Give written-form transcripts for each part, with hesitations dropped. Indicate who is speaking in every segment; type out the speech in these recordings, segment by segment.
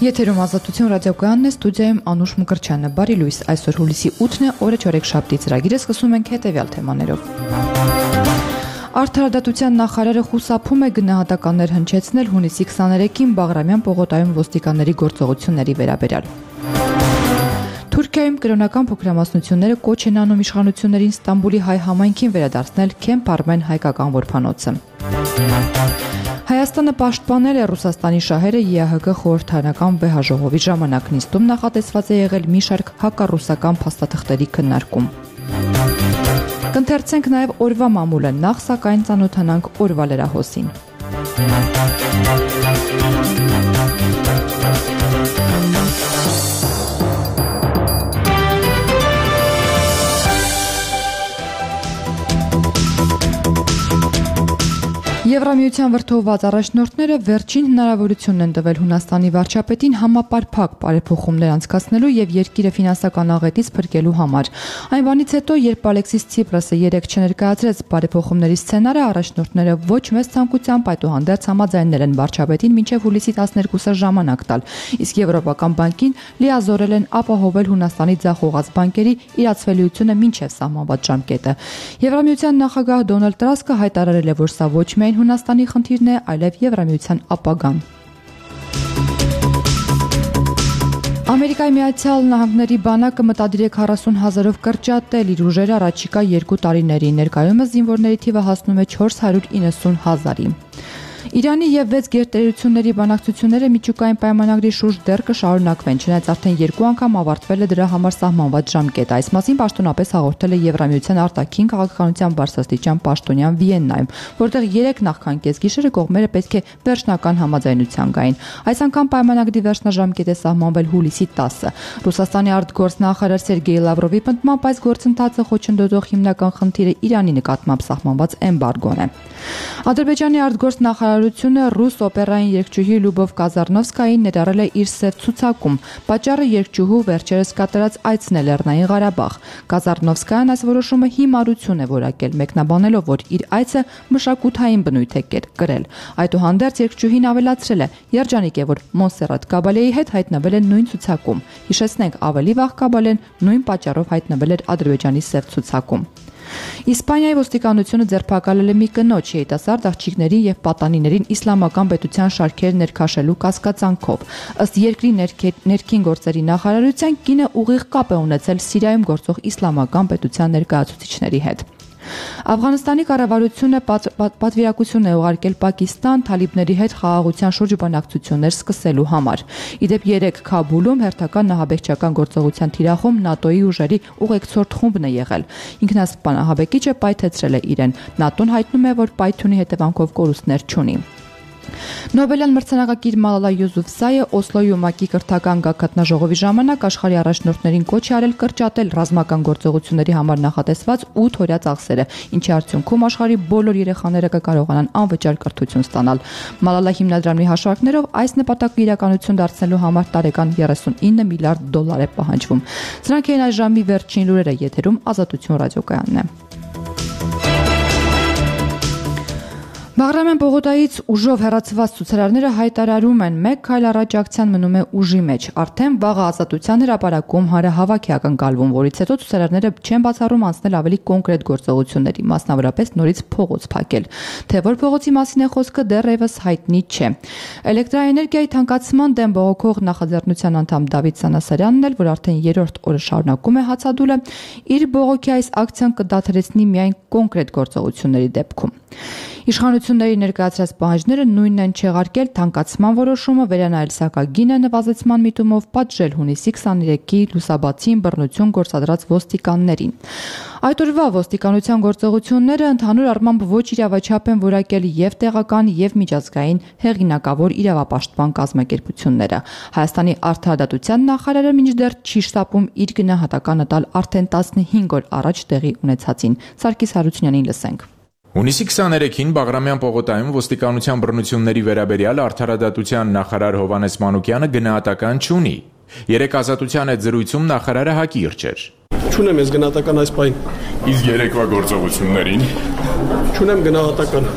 Speaker 1: Եթերում Ազատություն ռադիոկայանն է, ստուդիայում Անուշ Մկրտչյանը։ Բարի լույս, այսօր հուլիսի 8-ն է, օրը չորեքշաբթի ծրագիրը սկսում ենք հետևյալ թեմաներով։ Արդարադատության նախարարը խուսափում է գնահատականներ հնչեցնել հունիսի 23-ին Բաղրամյան պողոտայում ոստիկանների գործողությունների վերաբերյալ։ Թուրքիայում կրոնական փոքրամասնությունները կոչ են անում իշխանություններին Ստամբուլի հայ համայնքին վերադարձնել Քեմփ Արմեն հայկական որբանոցը։ Հայաստանը պաշտպանել է Ռուսաստանի շահերը ԵԱՀԿ խորհրդարանական վեհաժողովի ժամանակ նիստում նախատեսված է եղել մի շարք հակառուսական փաստաթղթերի քննարկում։ Կընթերցենք նաև օրվա մամուլը, նախ սակայն ծանոթանանք օրվա լրահոսին։ Եվրամիության վրդովված առաջնորդները վերջին հնարավորությունն են տվել Հունաստանի վարչապետին համապարփակ բարեփոխումներ անցկացնելու եւ երկիրը ֆինանսական աղետից փրկելու համար։ Այն բանից հետո, երբ Ալեքսիս Ցիպրասը երեկ չներկայացրեց բարեփոխումների սցենարը, առաջնորդները ոչ մեծ ցանկությամբ այդուհանդերձ համաձայնել են վարչապետին մինչեւ հուլիսի 12-ը ժամանակ տալ, իսկ Եվրոպական բանկին լիազորել են ապահովել Հունաստանի ձախողած բանկերի իրացվելիությունը մինչեւ սահմանված ժամկետը։ Եվրամիության նախագահ Դոնալդ Տրասկը հայտարարել է, որ սա ոչ միայն Հունաստանի խնդիրն է, այլև Եվրամիության ապագան։ Ամերիկայի Միացյալ Նահանգների բանակը մտադիր է 40,000-ով կրճատել իր ուժերը առաջիկա 2 տարիներին, ներկայումս զինվորների թիվը հասնում է 490,000-ի։ Իրանի եւ 6 գերտերությունների բանակցությունները միջուկային պայմանագրի շուրջ դեռ կշարունակվեն, չնայած արդեն 2 անգամ ավարտվել է դրա համար սահմանված ժամկետը։ Այս մասին պաշտոնապես հաղորդել է Եվրամիության արտաքին քաղաքականության բարձրաստիճան պաշտոնյան Վիեննայում, որտեղ 3 նախքան կեսգիշերը կողմերը պետք է վերջնական համաձայնության գային։ Այս անգամ պայմանագրի վերջնաժամկետ է սահմանվել հուլիսի 10-ը։ Ռուսաստանի արտգործնախարար Սերգեյ Լավրովի պնդմամբ այս գործընթացը խոչընդոտող հիմնական խնդիրը Իրանի նկատմամբ սահմանված էմբարգոն է։ Ադրբեջանի արտգործնախարարությունը ռուս օպերային երգչուհի Լյուբով Կազարնովսկային ներառել է իր սև ցուցակում։ Պատճառը երգչուհու վերջերս կատարած այցն է Լեռնային Ղարաբաղ։ Կազարնովսկայան այս որոշումը հիմարություն է որակել, մեկնաբանելով, որ իր այցը մշակութային բնույթ է կրել։ Այդուհանդերձ երգչուհին ավելացրել է. երջանիկ է, որ Մոնսերատ Կաբալեի հետ հայտնվել են նույն ցուցակում։ Հիշեցնենք, ավելի վաղ Կաբալեն նույն պատճառով հայտնվել էր Ադրբեջանի սև ցուցակում։ Իսպանիայի ոստիկանությունը ձերբակալել է մի կնոջ երիտասարդ աղջիկներին եւ պատանիներին իսլամական պետության շարքեր ներքաշելու կասկածանքով։ Ըստ երկրի ներքին գործերի նախարարության, կինը ուղիղ կապ է ունեցել Սիրիայում գործող իսլամական պետության ներկայացուցիչների հետ։ Աֆղանստանի կառավարությունը պատվիրակություն է ուղարկել Պակիստան թալիբների հետ խաղաղության շուրջ բանակցություններ սկսելու համար։ Իդեպ 3 Քաբուլում հերթական նահաբեկչական գործողության թիրախում ՆԱՏՕ-ի ուժերի ուղեկցորդ խումբն է եղել։ Ինքնասպան ահաբեկիչը պայթեցրել է իրեն։ ՆԱՏՕ-ն հայտնում է, որ պայթյունի հետևանքով կորուստներ չունի։ Նոբելյան մրցանակակիր Մալալա Յուսուֆզայը Օսլոյում ՄԱԿ-ի կրթական գագաթնաժողովի ժամանակ աշխարհի առաջնորդներին կոչ է արել կրճատել ռազմական գործողությունների համար նախատեսված 8 օրյա ծախսերը, ինչի արդյունքում աշխարհի բոլոր երեխաները կկարողանան անվճար կրթություն ստանալ։ Մալալա հիմնադրամի հաշվարկներով այս նպատակը իրականություն դարձնելու համար տարեկան $39 միլիարդ է պահանջվում։ Սրանք են այս ժամի վերջին լուրերը, եթերում Ազատություն ռադիոկայանն է։ Բաղրամյան պողոտայից ուժով հեռացված ցուցարարները հայտարարում են, մեկ քայլ առաջ ակցիան մնում է ուժի մեջ։ Արդեն վաղը Ազատության հրապարակում հանրահավաք է ակնկալվում, որից հետո ցուցարարները չեն բացառում անցնել ավելի կոնկրետ գործողությունների, մասնավորապես նորից փողոց փակել։ Թե որ փողոցի մասին է խոսքը, դեռևս հայտնի չէ։ Էլեկտրաէներգիայի թանկացման դեմ բողոքող նախաձեռնության անդամ Դավիթ Սանասարյանն էլ, որ արդեն 3-րդ օրը շարունակում է հացադուլը, իր բողոքի այս ակցիան կդադարեցնի միայն կոնկրետ գործողությունների դեպքում։ Իշխանությունների ներկայացրած պահանջները նույնն են չեղարկել թանկացման որոշումը, վերանայել սակագինը նվազեցման միտումով, պատժել հունիսի 23-ի լուսաբացին բռնություն գործադրած ոստիկաններին։ Այդ օրվա ոստիկանության գործողությունները ընդհանուր առմամբ ոչ իրավաչափ են որակել եւ տեղական եւ միջազգային հեղինակավոր իրավապաշտպան կազմակերպությունները։ Հայաստանի արդարադատության նախարարը մինչդեռ չի շտապում իր գնահատականը տալ արդեն 15 օր առաջ տեղի ունեցածին։ Սարգիս Հարությունյանին լսենք։
Speaker 2: Հունիսի 23-ին Բաղրամյան պողոտայում ոստիկանության բռնությունների վերաբերյալ արդարադատության նախարար Հովհաննես Մանուկյանը գնահատական չունի։ Երեկ Ազատության հետ զրույցում նախարարը հակիրճ էր։
Speaker 3: Չունեմ ես գնահատական այս պահին։
Speaker 2: Իսկ երեկվա գործողություններին
Speaker 3: չունեմ գնահատական։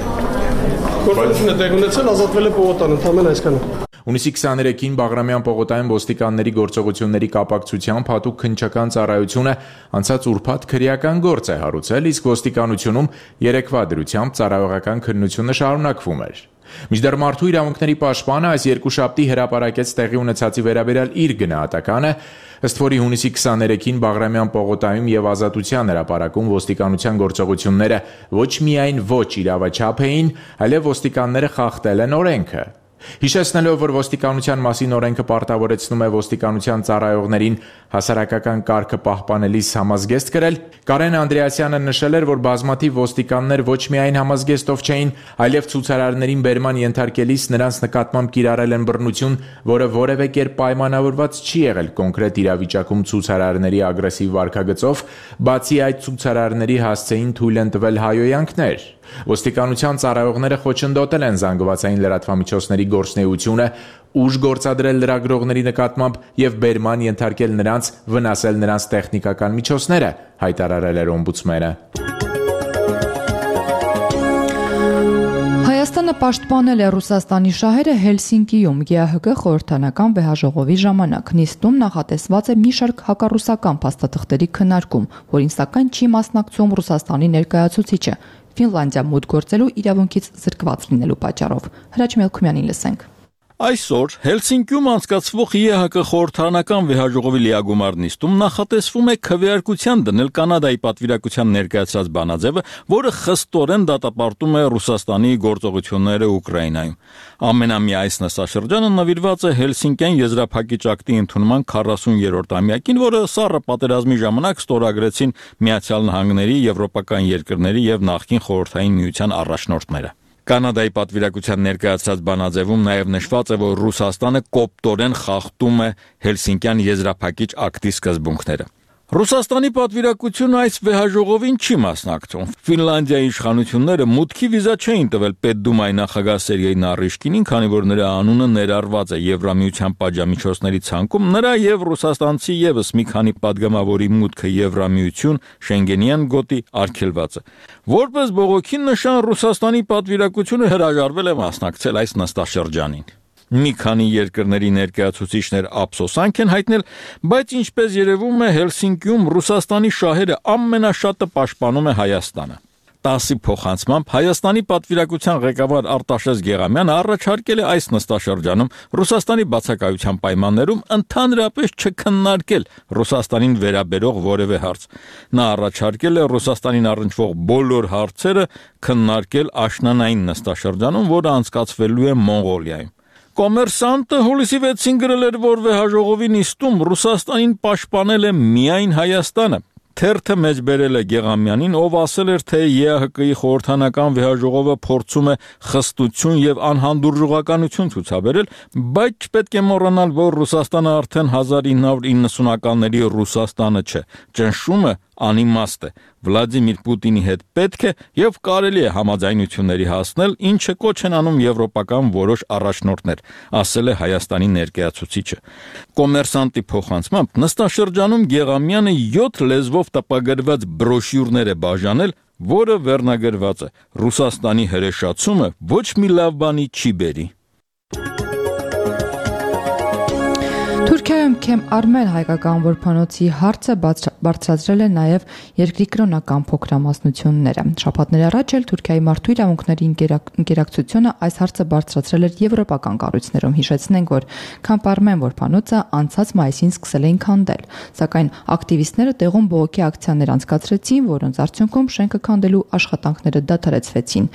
Speaker 3: Գործողությունը տեղ ունեցել, ազատվել է պողոտան, ընդհանրապես այսքանը։
Speaker 2: Հունիսի 23-ին Բաղրամյան պողոտայում ոստիկանների գործողությունների կապակցությամբ հատուկ քննչական ծառայությունը անցած ուրբաթ քրեական գործ է հարուցել, իսկ ոստիկանությունում երեկվա դրությամբ ծառայողական քննությունը շարունակվում էր։ Մինչդեռ մարդու իրավունքների պաշտպանը այս երկուշաբթի հրապարակեց տեղի ունեցածի վերաբերյալ իր գնահատականը, ըստ որի հունիսի 23-ին Բաղրամյան պողոտայում եւ Ազատության հրապարակում ոստիկանության գործողությունները ոչ միայն ոչ իրավաչափ էին, այլև ոստիկանները խախտել են օրենքը։ Հիշեցնելով, որ ոստիկանության մասին օրենքը պարտավորեցնում է ոստիկանության ծառայողներին հասարակական կարգը պահպանելիս համազգեստ կրել, Կարեն Անդրեասյանը նշել էր, որ բազմաթիվ ոստիկաններ ոչ միայն համազգեստով չէին, այլև ցուցարարներին բերման ենթարկելիս նրանց նկատմամբ կիրառել են բռնություն, որը որևէ կերպ պայմանավորված չի եղել կոնկրետ իրավիճակում ցուցարարների ագրեսիվ վարքագծով, բացի այդ ցուցարարների հասցեին թույլ են տվել հայոյանքներ։ Ոստիկանության ծառայողները խոչընդոտել են զանգվածային լրատվամիջոցների գործունեությունը, ուժ գործադրել լրագրողների նկատմամբ եւ բերման ենթարկել նրանց, վնասել նրանց տեխնիկական միջոցները, հայտարարել էր օմբուդսմենը։
Speaker 1: Հայաստանը պաշտպանել է Ռուսաստանի շահերը Հելսինկիում ԵԱՀԿ խորհրդանական վեհաժողովի ժամանակ։ Նիստում նախատեսված է մի շարք հակառուսական փաստաթղթերի քննարկում, որին սակայն չի մասնակցում Ռուսաստանի ներկայացուցիչը, Ֆինլանդիա մուտք գործելու իրավունքից զրկված լինելու պատճառով։ Հրաչ Մելքումյանին լսենք։
Speaker 4: Այսօր Հելսինկիում անցկացվող ԵԱՀԿ խորհրդարանական վեհաժողովի լիագումար նիստում նախատեսվում է քվեարկության դնել Կանադայի պատվիրակության ներկայացրած բանաձևը, որը խստորեն դատապարտում է Ռուսաստանի գործողությունները Ուկրաինայում։ Ամենամյա այս նստաշրջանը նվիրված է Հելսինկյան եզրափակիչ ակտի ընդունման 40-րդ ամյակին, որը սառը պատերազմի ժամանակ ստորագրեցին Միացյալ Նահանգների, եվրոպական երկրների եւ նախկին Խորհրդային Միության առաջնորդները։ Կանադայի պատվիրակության ներկայացրած բանաձևում նաև նշված է, որ Ռուսաստանը կոպտորեն խախտում է Հելսինկյան եզրափակիչ ակտի սկզբունքները։ Ռուսաստանի պատվիրակությունը այս վեհաժողովին չի մասնակցում։ Ֆինլանդիայի իշխանությունները մուտքի վիզա չէին տվել Պետդումայի նախագահ Սերգեյ Նարիշկինին, քանի որ նրա անունը ներառված է Եվրամիության պատժամիջոցների ցանկում, նրա եւ ռուսաստանցի եւս մի քանի падգամավորի մուտքը Եվրամիություն Շենգենյան գոտի արգելված է։ Որպես բողոքի նշան Ռուսաստանի պատվիրակությունը հրաժարվել է մասնակցել այս նստաշրջանին։ Մի քանի երկրների ներկայացուցիչներ ափսոսանք են հայտնել, բայց ինչպես երևում է Հելսինկիում Ռուսաստանի շահերը ամենաշատը պաշտպանում է Հայաստանը։ 10-ի փոխանցմամբ Հայաստանի պատվիրակության ղեկավար Արտաշես Գեղամյանը առաջարկել է այս նստաշրջանում Ռուսաստանի բացակայության պայմաններում ընդհանրապես չքննարկել Ռուսաստանին վերաբերող որևէ հարց։ Նա առաջարկել է Ռուսաստանին առնչվող բոլոր հարցերը քննարկել աշնանային նստաշրջանում, որը անցկացվելու է Մոնղոլիայում։ Կոմերսանտը հուլիսի 6-ին գրել էր, որ վեհաժողովի նիստում Ռուսաստանին պաշտպանել է միայն Հայաստանը։ Թերթը մեջբերել է Գեղամյանին, ով ասել էր, թե ԵԱՀԿ-ի խորհրդանական վեհաժողովը փորձում է խստություն եւ անհանդուրժողականություն ցուցաբերել, բայց չպետք է մոռանալ, որ Ռուսաստանը արդեն 1990-ականների Ռուսաստանը չէ։ Ճնշումը անիմաստ է։ Վլադիմիր Պուտինի հետ պետք է եւ կարելի է համաձայնությունների հասնել, ինչը կոչ են անում եվրոպական որոշ առաջնորդներ, ասել է Հայաստանի ներկայացուցիչը։ Կոմերսանտի փոխանցմամբ նստաշրջանում Գեղամյանը 7 լեզվով տպագրված բրոշյուրներ է բաժանել, որը վերնագրված է. Ռուսաստանի հրեշացումը ոչ մի լավ բանի չի բերի։
Speaker 1: Թուրքիայում Քեմ Արմեն հայկական որբանոցի հարցը բարձրացրել է նաև երկրի կրոնական փոքրամասնությունները։ Շաբաթներ առաջ էլ Թուրքիայի մարդու իրավունքների ինկերակցությունը այս հարցը բարձրացրել էր եվրոպական կառույցներում։ Հիշեցնենք, որ Քեմ Արմեն որբանոցը անցած մայիսին սկսել էին քանդել, սակայն ակտիվիստները տեղում բողոքի ակցիաներ անցկացրեցին, որոնց արդյունքում շենքը քանդելու աշխատանքները դադարեցվեցին։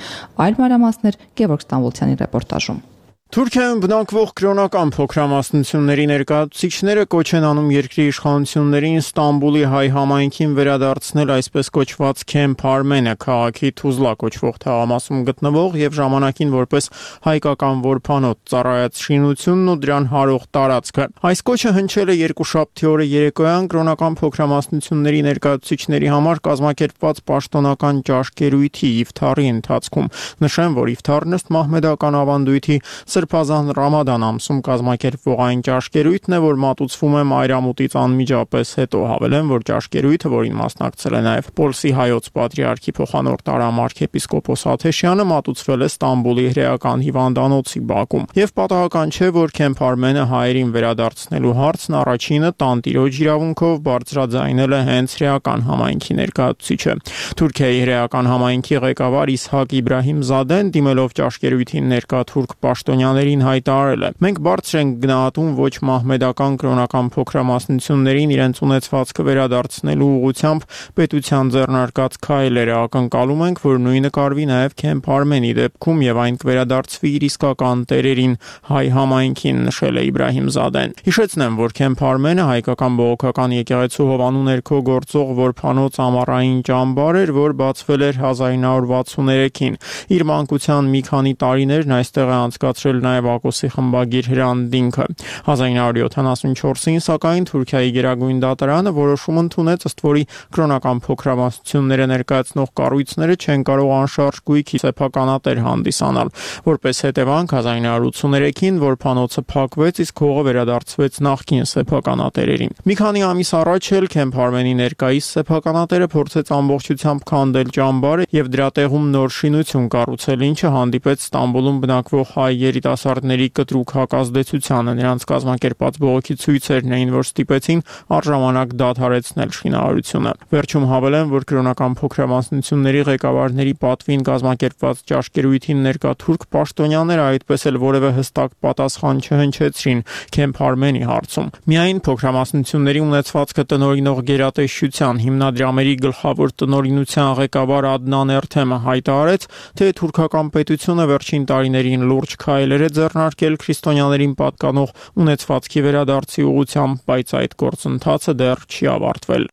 Speaker 1: Այլ մանրամասներ Գևորգ Ստամբոլցյանի ռեպորտաժում։
Speaker 5: Թուրքիայում բնակվող կրոնական փոքրամասնությունների ներկայացուցիչները կոչ են անում երկրի իշխանություններին Ստամբուլի հայ համայնքին վերադարձնել այսպես կոչված Քեմփ Արմենը քաղաքի Թուզլա կոչվող թաղամասում գտնվող եւ ժամանակին որպես հայկական որբանոց ծառայած շինությունն ու դրան հարող տարածքը։ Այս կոչը հնչել է երկուշաբթի օրը երեկոյան կրոնական փոքրամասնությունների ներկայացուցիչների համար կազմակերպված պաշտոնական ճաշկերույթի իֆթարի ընթացքում։ Նշեմ, որ իֆթարն ըստ մահմեդական ավանդույթի Սրբազան Ռամադան ամսում կազմակերպվող այն ճաշկերույթն է, որ մատուցվում է մայրամուտից անմիջապես հետո, հավելեմ, որ ճաշկերույթը, որին մասնակցել է նաև Պոլսի հայոց պատրիարքի փոխանորդ արամարքեպիսկոպոս Աթեշյանը, մատուցվել է Ստամբուլի հրեական հիվանդանոցի բակում։ Եվ պատահական չէ, որ Քեմփ Արմենը հայերին վերադարձնելու հարցն առաջինը տանտիրոջ իրավունքով բարձրաձայնել է հենց հրեական համայնքի ներկայացուցիչը։ Թուրքիայի հրեական համայնքի ղեկավար Իսհակ Իբրահիմզադեն, դիմելով ճաշկերույթին ներկա թուրք պաշտոնյաներին, հայտարարել է. «Մենք բարձր ենք գնահատում ոչ մահմեդական կրոնական փոքրամասնություններին իրենց ունեցվածքը վերադարձնելու ուղղությամբ պետության ձեռնարկած քայլերը, ակնկալում ենք, որ նույնը կարվի նաև Քեմփ Արմենի դեպքում եւ այն կվերադարձվի իր իսկական տերերին, հայ համայնքին», նշել է Իբրահիմզադեն։ Հիշեցնեմ, որ Քեմփ Արմենը հայկական բողոքական եկեղեցու հովանու ներքո գործող որփանոց ամառային ճամբար էր, որ բացվել էր 1963-ին։ Իր մանկության մի քանի տարիներն այստեղ է անցկացրել նաև Ակոսի խմբագիր Հրանտ Դինքը։ 1974-ին, սակայն, Թուրքիայի գերագույն դատարանը որոշում ընդունեց, ըստ որի կրոնական փոքրամասնությունները ներկայացնող կառույցները չեն կարող անշարժ գույքի սեփականատեր հանդիսանալ։ Որպես հետևանք 1983-ին որփանոցը փակվեց, իսկ հողը վերադարձվեց նախկին սեփականատերերին։ Մի քանի ամիս առաջ էլ Քեմփ Արմենի ներկայիս սեփականատերը փորձեց ամբողջությամբ քանդել ճամբարը եւ դրա տեղում նոր շինություն կառուցել, ինչը հանդիպեց Ստամբուլում բնակվող հայ երիտասարդների կտրուկ հակազդեցությանը։ Նրանց կազմակերպած բողոքի ցույցերն էին, որ ստիպեցին առժամանակ դադարեցնել շինարարությունը։ Վերջում հավելեմ, որ կրոնական փոքրամասնությունների ղեկավարների պատվին կազմակերպված ճաշկերույթին ներկա թուրք պաշտոնյաները այդպես էլ որևէ հստակ պատասխան չհնչեցրին Քեմփ Արմենի հարցում։ Միայն փոքրամասնությունների ունեցվածքը տնօրինող գերատեսչության հիմնադրամերի գլխավոր տնօրինության ղեկավար Ադնան Էրթեմը հայտարարեց, թե թուրքական պետությունը վերջին տարիներին լուրջ քայլեր է ձեռնարկել քրիստոնյաներին պատկանող ունեցվածքի վերադարձի ուղղությամբ, բայց այդ գործընթացը դեռ չի ավարտվել։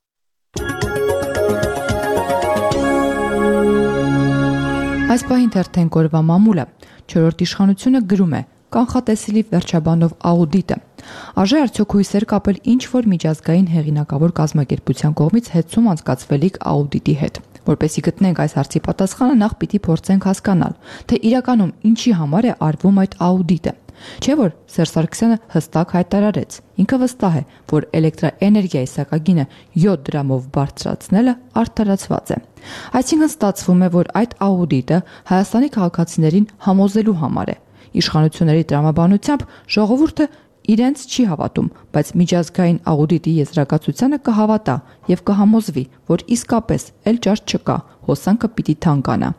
Speaker 1: Այս պահին թերթենք օրվա մամուլը։ 4-րդ իշխանությունը գրում է. կանխատեսելի վերջաբանով աուդիտը։ Արժե արդյոք հույսեր կապել ինչ-որ միջազգային հեղինակավոր կազմակերպության կողմից հետցում անցկացվելիք աուդիտի հետ։ Որպեսզի գտնենք այս հարցի պատասխանը, նախ պիտի փորձենք հասկանալ, թե իրականում ինչի համար է արվում այդ աուդիտը։ Չէ՞ որ Սերժ Սարգսյանը հստակ հայտարարեց. ինքը վստահ է, որ էլեկտրաէներգիայի սակագինը 7 դրամով բարձրացնելը արդարացված է։ Այսինքն ստացվում է, որ այդ աուդիտը Հայաստանի քաղաքացիներին համոզելու համար է։ Իշխանությունների տրամաբանությամբ ժողովուրդը իրենց չի հավատում, բայց միջազգային աուդիտի եզրակացությանը կհավատա եւ կհամոզվի, որ իսկապես էլ ճաշ չկա, հոսանքը պիտի թանկանա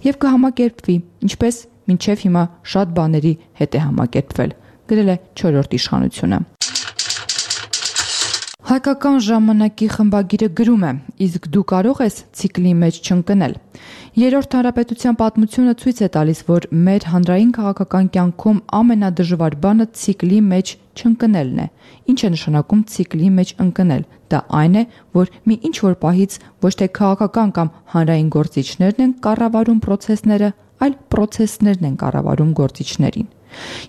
Speaker 1: եւ կհամակերպվի, ինչպես մինչև հիմա շատ բաների հետ է համակերպվել, գրել է 4-րդ իշխանությունը։ Հայկական ժամանակի խմբագիրը գրում է. իսկ դու կարող ես ցիկլի մեջ չընկնել։ Երրորդ հանրապետության պատմությունը ցույց է տալիս, որ մեր հանրային քաղաքական կյանքում ամենադժվար բանը ցիկլի մեջ չընկնելն է։ Ինչ է նշանակում ցիկլի մեջ ընկնել։ Դա այն է, որ մի ինչ-որ պահից ոչ թե քաղաքական կամ հանրային գործիչներն են կառավարում process-ները, այլ process-ներն են կառավարում գործիչներին։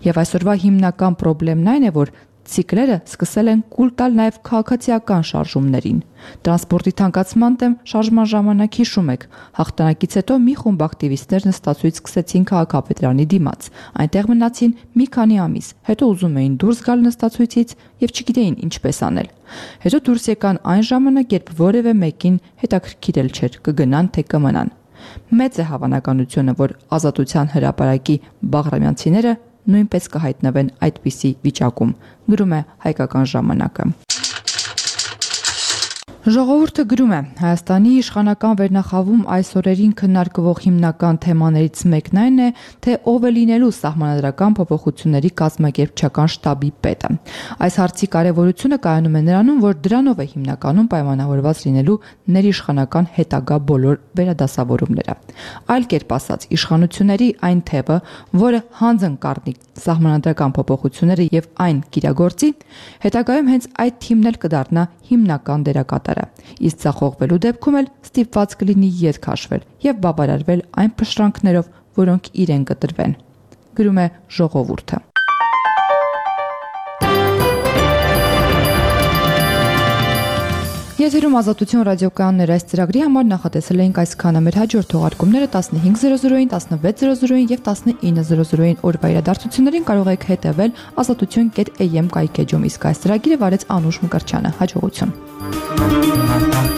Speaker 1: Եվ այսօրվա հիմնական խնդիրն այն է, որ ցիկլերը սկսել են կուլ տալ նաև քաղաքացիական շարժումներին։ Տրանսպորտի թանկացման դեմ շարժման ժամանակ հիշում եք, հաղթանակից հետո մի խումբ ակտիվիստներ նստածույց սկսեցին քաղաքապետարանի դիմաց։ Այնտեղ մնացին մի քանի ամիս, հետո ուզում էին դուրս գալ նստածույցից եւ չգիտեին ինչպես անել։ Հետո դուրս եկան այն ժամանակ, երբ որևէ մեկին հետաքրքիր չէր կգնան թե կմնան։ Մեծ է հավանականությունը, որ Ազատության հրապարակի բաղրամյանցիները նույնպես կհայտնվեն այդպիսի վիճակում, գրում է Հայկական ժամանակը։ Ժողովուրդը գրում է. Հայաստանի իշխանական վերնախավում այս օրերին քննարկվող հիմնական թեմաներից մեկն այն է, թե ով է լինելու սահմանադրական փոփոխությունների կազմակերպչական շտաբի պետը։ Այս հարցի կարևորությունը կայանում է նրանում, որ դրանով է հիմնականում պայմանավորված լինելու ներիշխանական հետագա բոլոր վերադասավորումները։ Այլ կերպ ասած, իշխանությունների այն թևը, որը հանձն կառնի սահմանադրական փոփոխությունները եւ այն կիրագործի, հետագայում հենց այդ թիմն էլ կդառնա հիմնական դերակատարը։ Իսկ ցախողվելու դեպքում էլ ստիպված կլինի ետ քաշվել եւ բավարարվել այն փշրանքներով, որոնք իրեն կտրվեն, գրում է Ժողովուրդը։ Եթերում Ազատություն ռադիոկայաններ այս ծրագրի համար նախատեսել էինք այսքանը։ Մեր հաջորդ թողարկումները 15:00-ին, 16:00-ին եւ 19:00-ին օրվա իրադարձություններին կարող եք հետեւել azatutyon.am կայքեջում, իսկ այս ծրագիրը վարեց Անուշ Մկրտչյանը։ Հաջողություն։